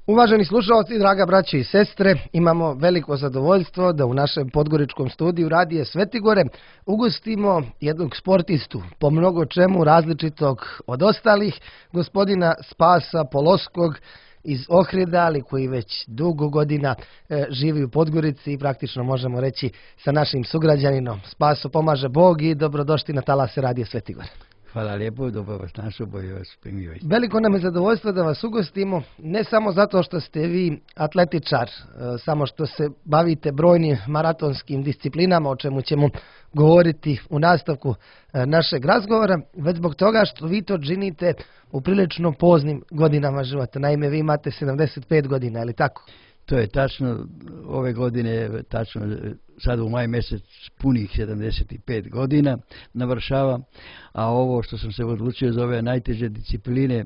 Uvaženi slušalci, draga braće i sestre, imamo veliko zadovoljstvo da u našem podgoričkom studiju Radije Svetigore ugostimo jednog sportistu, po mnogo čemu različitog od ostalih, gospodina Spasa Poloskog iz Ohrida, ali koji već dugo godina živi u Podgorici i praktično možemo reći sa našim sugrađaninom. Spaso, pomaže Bog i dobrodošli na talase Radije Svetigore. Hvala lijepo, dobro vas našao, bolje vas primio. Veliko nam je zadovoljstvo da vas ugostimo, ne samo zato što ste vi atletičar, samo što se bavite brojnim maratonskim disciplinama, o čemu ćemo govoriti u nastavku našeg razgovora, već zbog toga što vi to činite u prilično poznim godinama života. Naime, vi imate 75 godina, je li tako? To je tačno, ove godine, tačno sad u maj mjesec punih 75 godina navršavam, a ovo što sam se odlučio za ove najteže discipline,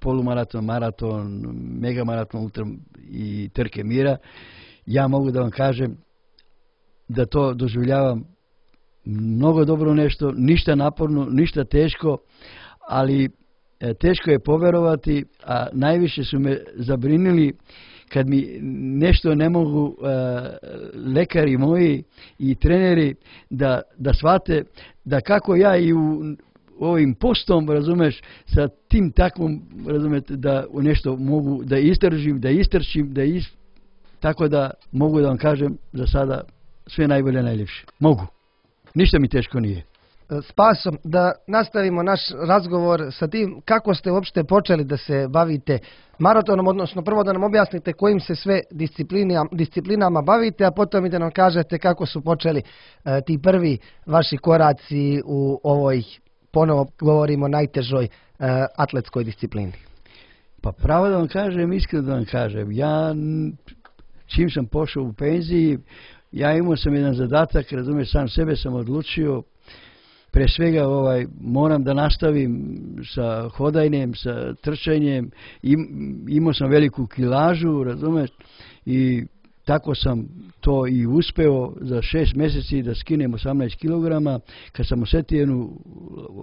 polumaraton, maraton, megamaraton i trke mira, ja mogu da vam kažem da to doživljavam mnogo dobro nešto, ništa naporno, ništa teško, ali teško je poverovati, a najviše su me zabrinili kad mi nešto ne mogu lekari moji i treneri da shvate da kako ja i u ovim postom, razumeš, sa tim takvom, razumete, da u nešto mogu da izdržim, da istrčim, tako da mogu da vam kažem za sada sve najbolje, najljepše. Mogu. Ništa mi teško nije. Spaso, da nastavimo naš razgovor sa tim kako ste uopšte počeli da se bavite maratonom, odnosno prvo da nam objasnite kojim se sve disciplinama bavite, a potom i da nam kažete kako su počeli ti prvi vaši koraci u ovoj, ponovo govorimo, najtežoj atletskoj disciplini. Pa pravo da vam kažem, iskreno da vam kažem, ja čim sam pošao u penziji, ja imao sam jedan zadatak, razumiješ, sam sebe sam odlučio. Pre svega moram da nastavim sa hodanjem, sa trčanjem, imao sam veliku kilažu, razumeš, i tako sam to i uspeo za 6 mjeseci da skinem 18 kg, kad sam osjetio jednu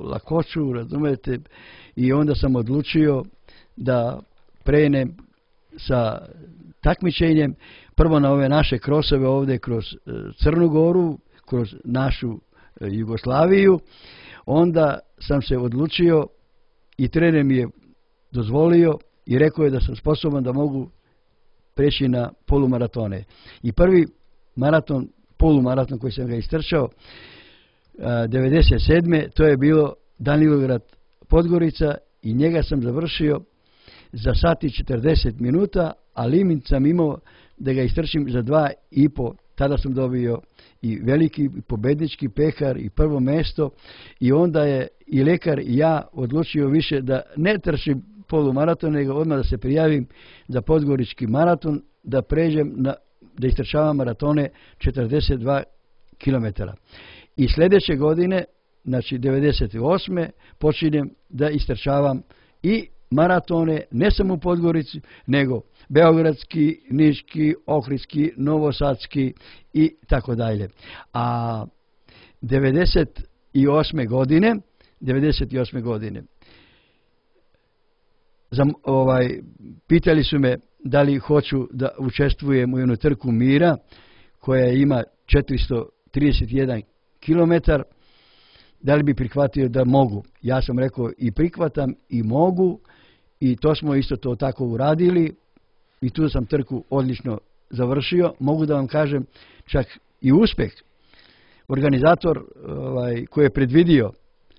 lakoću, razumete, i onda sam odlučio da prenem sa takmičenjem, prvo na ove naše krosove ovdje kroz Crnu Goru, kroz našu Jugoslaviju, onda sam se odlučio i trener mi je dozvolio i rekao je da sam sposoban da mogu preći na polumaratone. I prvi maraton, polumaraton koji sam ga istrčao 97. to je bilo Danilograd Podgorica i njega sam završio za sat i 40 minuta, a limit sam imao da ga istrčim za 2,5. Tada sam dobio i veliki pobednički pehar i prvo mjesto i onda je i lekar i ja odlučio više da ne trčim polumaraton, nego odmah da se prijavim za podgorički maraton, da pređem da istrčavam maratone 42 km. I sljedeće godine, znači 98. počinjem da istrčavam i maratone, ne samo u Podgorici, nego beogradski, niški, ohridski, novosadski i tako dalje. A 98. godine pitali su me da li hoću da učestvujem u jednu trku mira koja ima 431 km, da li bi prihvatio da mogu. Ja sam rekao i prihvatam i mogu i to smo isto to tako uradili i tu sam trku odlično završio. Mogu da vam kažem čak i uspjeh. Organizator koji je predvidio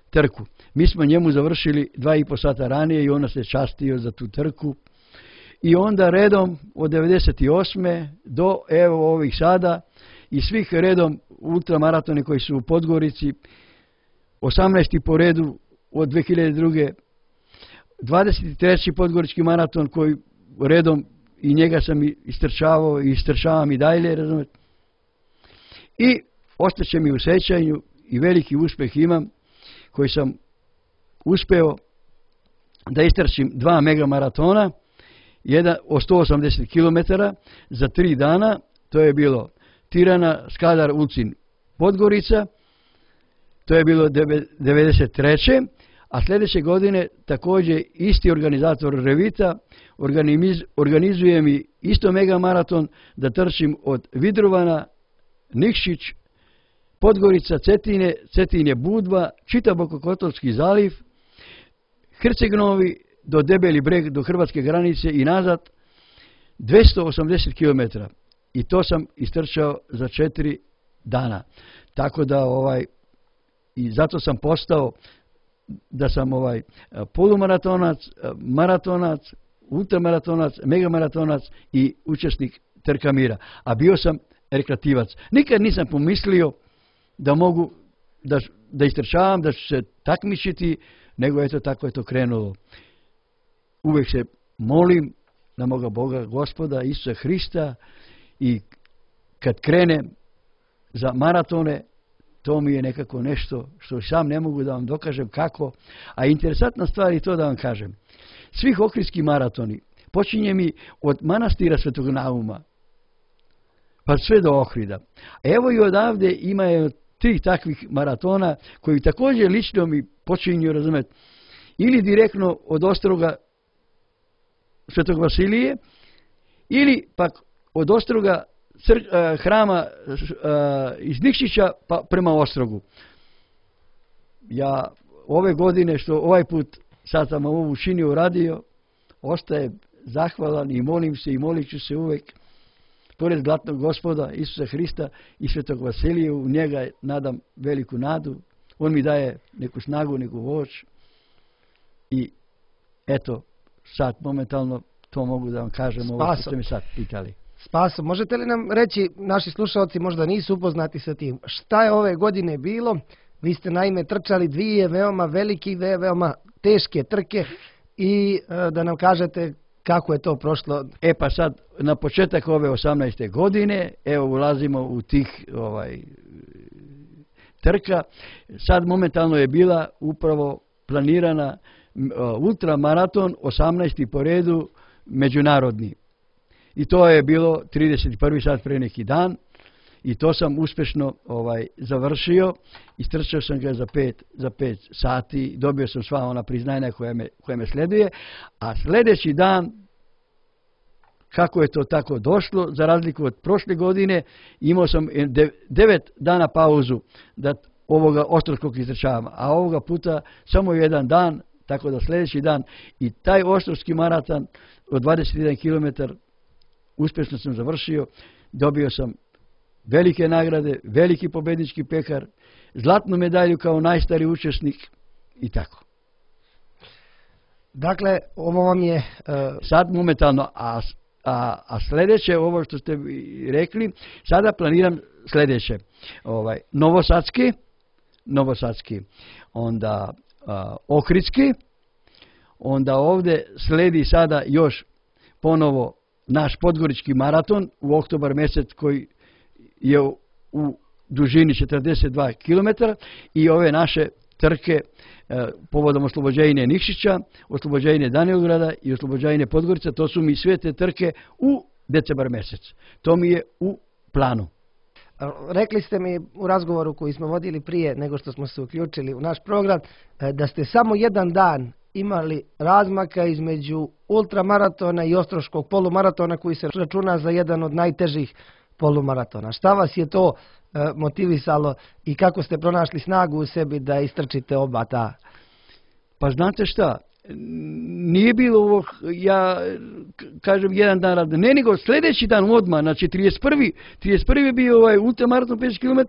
trku, mi smo njemu završili 2,5 sata ranije i on se častio za tu trku. I onda redom od 98. do evo ovih sada i svih redom ultramaratone koji su u Podgorici, 18. po redu od 2002. 23. podgorički maraton koji redom i njega sam istrčavao i istrčavam i dalje, razumijete. I ostaće mi u sećanju i veliki uspjeh imam koji sam uspeo da istrčim 2 megamaratona, jedan od 180 km za 3 dana, to je bilo Tirana, Skadar, Ulcin, Podgorica, to je bilo 93. A sljedeće godine također isti organizator Revita organizujem i isto mega maraton da trčim od Vidrovana, Nikšić, Podgorica, Cetinje, Budva, čitav Bokokotorski zaliv, Herceg-Novi do Debeli breg, do hrvatske granice i nazad, 280 km. I to sam istrčao za 4 dana. Tako da i zato sam postao da sam polumaratonac, maratonac, ultramaratonac, megamaratonac i učesnik trka mira. A bio sam rekreativac. Nikad nisam pomislio da mogu da istrčavam, da ću se takmičiti, nego eto tako je to krenulo. Uvijek se molim na moga Boga, Gospoda, Isusa Hrista, i kad krenem za maratone, to mi je nekako nešto što sam ne mogu da vam dokažem kako. A interesantna stvar je to da vam kažem. Svih ohridski maratoni počinje mi od manastira Svetog Nauma pa sve do Ohrida. Evo i odavde ima 3 takvih maratona koji također lično mi počinju, razumjeti, ili direktno od ostroga Svetog Vasilije, ili pak od ostroga hrama iz Nikšića pa prema Ostrogu. Ja ove godine što ovaj put sad sam ovo učinio, uradio, ostaje zahvalan i molim se i molit ću se uvijek pored zlatnog Gospoda Isusa Hrista i Svetog Vasilije. U njega nadam veliku nadu. On mi daje neku snagu, neku moć. I eto, sad momentalno to mogu da vam kažem ovo što ste mi sad pitali. Spaso, možete li nam reći, naši slušalci možda nisu upoznati sa tim, šta je ove godine bilo? Vi ste naime trčali 2 veoma velike, veoma teške trke i da nam kažete kako je to prošlo. Pa sad, na početak ove 18. godine, evo ulazimo u tih trka. Sad momentalno je bila upravo planirana ultramaraton, 18. po redu, međunarodni. I to je bilo 31. sad pre neki dan i to sam uspješno završio. Istrčao sam ga za 5 sati, dobio sam sva ona priznanja koja me sleduje, a sljedeći dan, kako je to tako došlo, za razliku od prošle godine, imao sam 9 dana pauzu da ovoga ostrogskog istrčavam, a ovoga puta samo 1 dan, tako da sljedeći dan i taj ostrogski maraton od 21 km uspješno sam završio, dobio sam velike nagrade, veliki pobednički pekar, zlatnu medalju kao najstariji učesnik i tako. Dakle, ovo vam je... Sad momentalno, sljedeće, ovo što ste rekli, sada planiram sljedeće. Novosadski, onda Ohridski, onda ovdje sledi sada još ponovo naš podgorički maraton u oktobar mjesec koji je u dužini 42 km i ove naše trke povodom oslobođenja Nikšića, oslobođenja Danielgrada i oslobođenja Podgorica, to su mi sve te trke u decembar mjesec. To mi je u planu. Rekli ste mi u razgovoru koji smo vodili prije nego što smo se uključili u naš program da ste samo 1 dan imali razmaka između ultramaratona i ostroškog polumaratona koji se računa za jedan od najtežih polumaratona. Šta vas je to motivisalo i kako ste pronašli snagu u sebi da istrčite oba ta? Pa znate šta, nije bilo ovo, ja kažem 1 dan rada, ne nego sljedeći dan odmah, znači 31. je bio ultramaraton 5 km,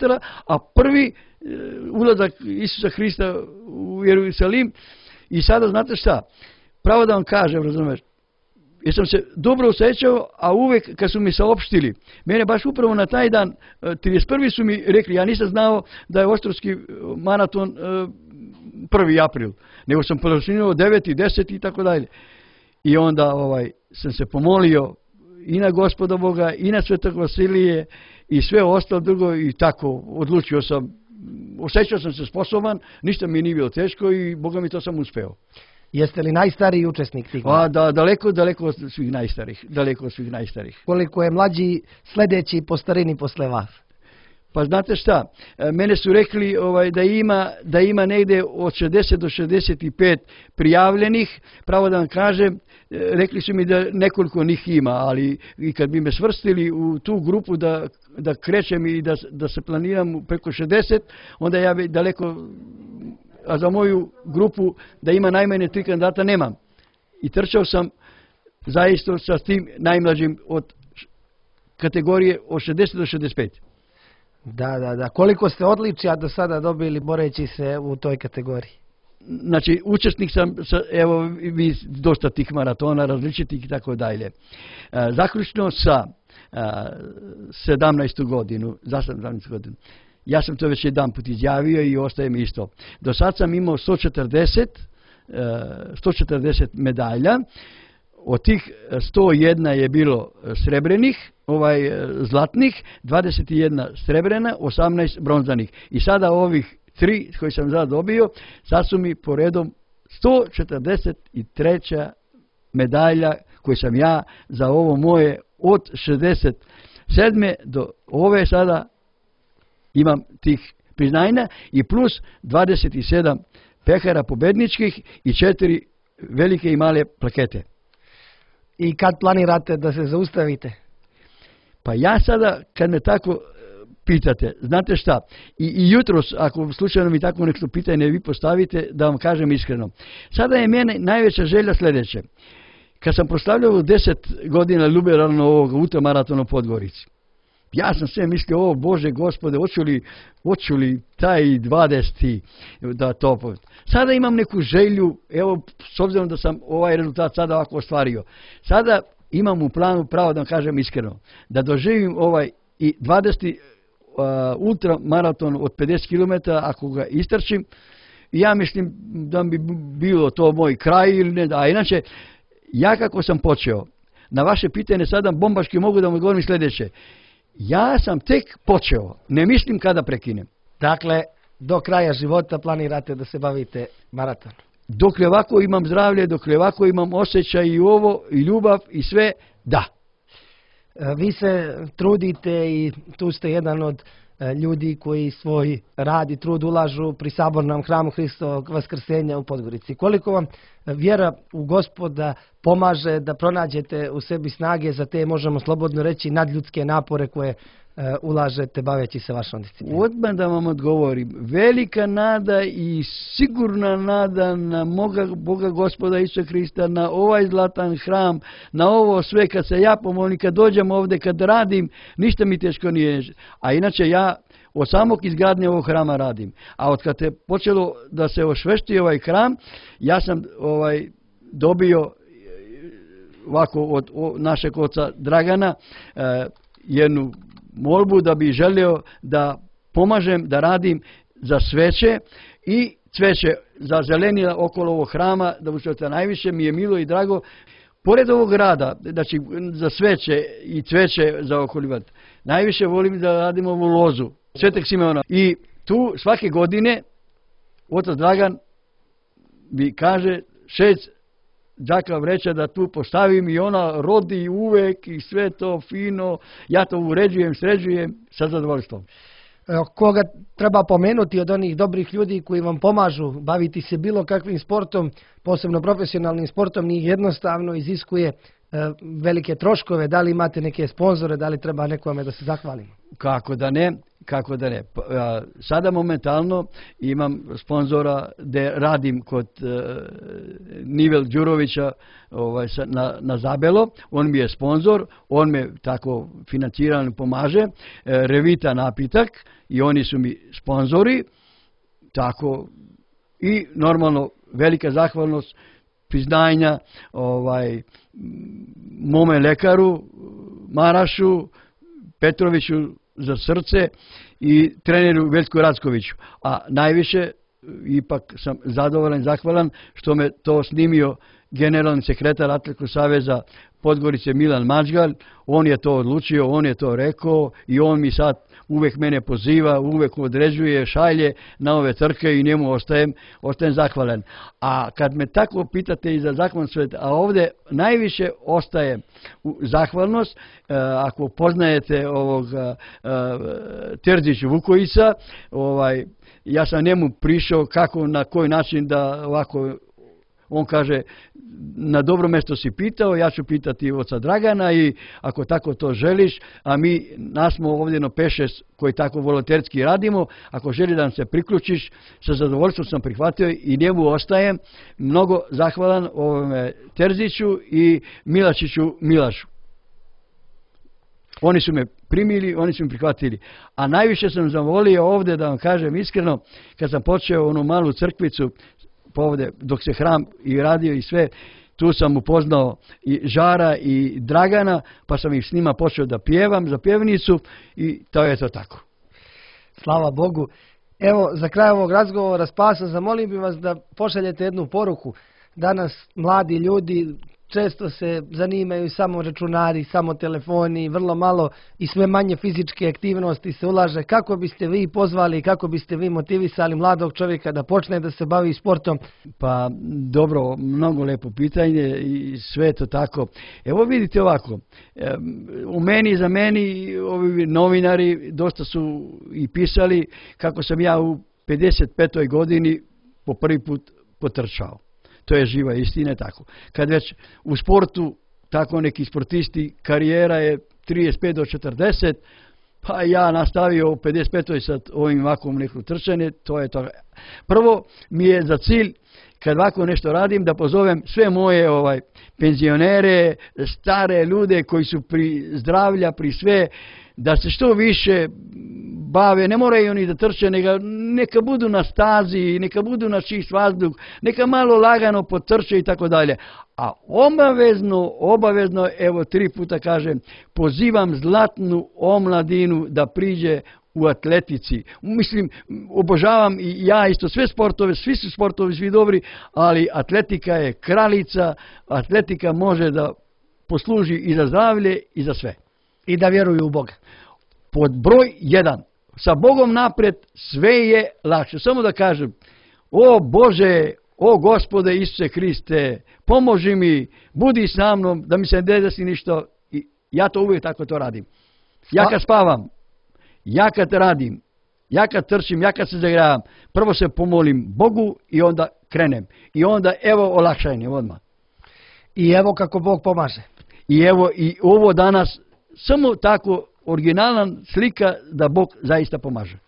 a prvi ulazak Isusa Hrista u Jerusalim. I sada znate šta, pravo da vam kažem, razumiješ, jer sam se dobro osjećao, a uvijek kad su mi saopštili, mene baš upravo na taj dan, 31. su mi rekli, ja nisam znao da je ostrogski maraton 1. april, nego sam počinio 9. 10. i tako dalje. I onda sam se pomolio i na Gospoda Boga, i na Svetog Vasilije, i sve ostalo drugo i tako odlučio sam, osjećao sam se sposoban, ništa mi nije bilo teško i Boga mi to sam uspeo. Jeste li najstariji učesnik tih? Daleko od svih najstarih. Koliko je mlađi sljedeći po starini posle vas? Pa znate šta, mene su rekli da ima negde od 60 do 65 prijavljenih, pravo da vam kažem, rekli su mi da nekoliko njih ima, ali i kad bi me svrstili u tu grupu da krećem i da se planiram preko 60, onda ja bi daleko, a za moju grupu da ima najmanje 3 kandidata nemam. I trčao sam zaista sa tim najmlađim od kategorije od 60 do 65. Da. Koliko ste odličja do sada dobili boreći se u toj kategoriji? Znači, učesnik sam, evo, vi dosta tih maratona različitih i tako dalje. Zaključno sa 17. godinu, ja sam to već jedan put izjavio i ostaje mi isto. Do sad sam imao 140 medalja, od tih 101 je bilo srebrenih, zlatnih, 21 srebrena, 18 bronzanih. I sada ovih 3 koji sam sad dobio, sad su mi po redom 143 medalja koje sam ja za ovo moje od 67. do ove sada imam tih priznanja i plus 27 pehara pobedničkih i 4 velike i male plakete. I kad planirate da se zaustavite? Pa ja sada, kad me tako pitate, znate šta, i jutros, ako slučajno mi tako nešto pitanje vi postavite, da vam kažem iskreno. Sada je mene najveća želja sljedeće. Kad sam proslavljao 10 godina liberalno ovog ultramaratona u Podgorici, ja sam sve mislio, Bože Gospode, hoću li taj 20. da to... Sada imam neku želju, evo, s obzirom da sam ovaj rezultat sada ovako ostvario, sada imam u planu, pravo da vam kažem iskreno, da doživim i 20. ultramaraton od 50 km, ako ga istrčim, ja mislim da bi bilo to moj kraj ili ne, a inače, ja kako sam počeo, na vaše pitanje sada bombaški mogu da vam odgovorim sljedeće. Ja sam tek počeo, ne mislim kada prekinem. Dakle, do kraja života planirate da se bavite maratonom? Dokle ovako imam zdravlje, dokle ovako imam osjećaj i ovo, i ljubav, i sve, da. Vi se trudite i tu ste jedan od ljudi koji svoj rad i trud ulažu pri Sabornom hramu Hristovog Vaskrsenja u Podgorici. Koliko vam vjera u Gospoda pomaže da pronađete u sebi snage za te, možemo slobodno reći, nadljudske napore koje ulažete baveći se vašom disciplinom? Odmah da vam odgovorim. Velika nada i sigurna nada na moga Boga Gospoda Isusa Hrista, na ovaj zlatan hram, na ovo sve kad se ja pomolim, kad dođem ovdje, kad radim, ništa mi teško nije. A inače ja od samog izgradnje ovog hrama radim. A od kad je počelo da se osvešti ovaj hram, ja sam dobio ovako od našeg oca Dragana jednu molbu da bi želio da pomažem, da radim za sveće i cveće za zelenila okolo ovog hrama, da učete najviše mi je milo i drago. Pored ovog rada, znači za sveće i cveće za okolivati, najviše volim da radimo ovu lozu Svetog Simeona. I tu svake godine otac Dragan mi kaže 6 džaka vreća da tu postavim i ona rodi uvek i sve to fino, ja to uređujem, sređujem sa zadovoljstvom. Koga treba pomenuti od onih dobrih ljudi koji vam pomažu baviti se bilo kakvim sportom, posebno profesionalnim sportom, njih jednostavno iziskuje velike troškove, da li imate neke sponzore, da li treba nekome da se zahvalimo? Kako da ne. Sada momentalno imam sponzora da radim kod Nivel Đurovića na Zabelo, on mi je sponzor, on me tako financirano pomaže, Revita napitak i oni su mi sponzori, tako i normalno velika zahvalnost, priznanja mome lekaru Marašu, Petroviću za srce i treneru Veljku Rackoviću. A najviše ipak sam zadovoljan i zahvalan što me to snimio generalni sekretar Atletskog saveza Podgorice Milan Mađgal, on je to odlučio, on je to rekao i on mi sad uvijek mene poziva, uvijek određuje, šalje na ove trke i njemu ostajem zahvalan. A kad me tako pitate i za zahvalnost, a ovdje najviše ostaje zahvalnost, ako poznajete ovog Terzić Vukojica, ja sam njemu prišao kako, na koji način da ovako, on kaže, na dobro mjesto si pitao, ja ću pitati oca Dragana i ako tako to želiš, a nas smo ovdje na 5-6 koji tako volonterski radimo, ako želi da nam se priključiš, sa zadovoljstvom sam prihvatio i njemu ostajem mnogo zahvalan ovome Terziću i Milačiću Milašu. Oni su me primili, oni su me prihvatili. A najviše sam zavolio ovdje, da vam kažem iskreno, kad sam počeo onu malu crkvicu, ovdje, dok se hram i radio i sve, tu sam upoznao i Žara i Dragana, pa sam ih s njima počeo da pjevam za pjevnicu i to je to tako. Slava Bogu. Evo, za kraj ovog razgovora Spaso, zamolim bi vas da pošaljete jednu poruku. Danas mladi ljudi često se zanimaju samo računari, samo telefoni, vrlo malo i sve manje fizičke aktivnosti se ulaže. Kako biste vi pozvali, kako biste vi motivisali mladog čovjeka da počne da se bavi sportom? Pa dobro, mnogo lepo pitanje i sve to tako. Evo vidite ovako, za meni ovi novinari dosta su i pisali kako sam ja u 55. godini po prvi put potrčao. To je živa istina, tako. Kad već u sportu, tako neki sportisti, karijera je 35 do 40, pa ja nastavio u 55. sa ovim ovakvom nekom trčanje, to je to. Prvo mi je za cilj, kad ovako nešto radim, da pozovem sve moje penzionere, stare ljude koji su pri zdravlja, pri sve, da se što više bave, ne moraju oni da trče, neka budu na stazi, neka budu na čist vazduh, neka malo lagano potrče i tako dalje. A obavezno, evo 3 puta kažem, pozivam zlatnu omladinu da priđe u atletici. Mislim, obožavam i ja isto sve sportove, svi su sportovi, svi dobri, ali atletika je kraljica, atletika može da posluži i za zdravlje i za sve. I da vjeruju u Boga. Pod broj 1. Sa Bogom naprijed sve je lakše. Samo da kažem, o Bože, o Gospode Isuse Hriste, pomoži mi, budi sa mnom, da mi se ne desi ništa. I ja to uvijek tako to radim. Ja kad spavam, ja kad radim, ja kad trčim, ja kad se zagravam, prvo se pomolim Bogu i onda krenem. I onda evo olakšanje odmah. I evo kako Bog pomaže. I evo i ovo danas samo tako originalan slika da Bog zaista pomaže.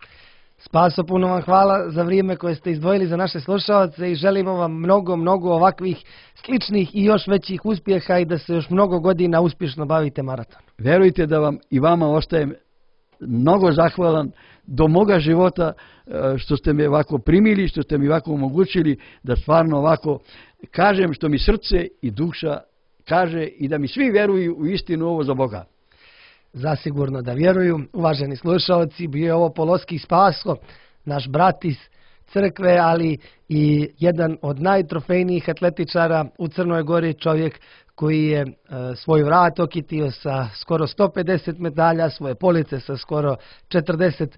Spaso, puno vam hvala za vrijeme koje ste izdvojili za naše slušalce i želimo vam mnogo ovakvih sličnih i još većih uspjeha i da se još mnogo godina uspješno bavite maratonom. Verujte da vam i vama ostajem mnogo zahvalan do moga života što ste me ovako primili, što ste mi ovako omogućili da stvarno ovako kažem što mi srce i duša kaže i da mi svi vjeruju u istinu ovo za Boga. Zasigurno da vjeruju. Uvaženi slušalci, bio je ovo Poloski Spaso, naš brat iz crkve, ali i jedan od najtrofejnijih atletičara u Crnoj Gori, čovjek koji je svoj vrat okitio sa skoro 150 medalja, svoje police sa skoro 40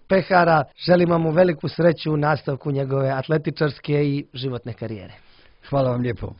pehara. Želimo mu veliku sreću u nastavku njegove atletičarske i životne karijere. Hvala vam lijepo.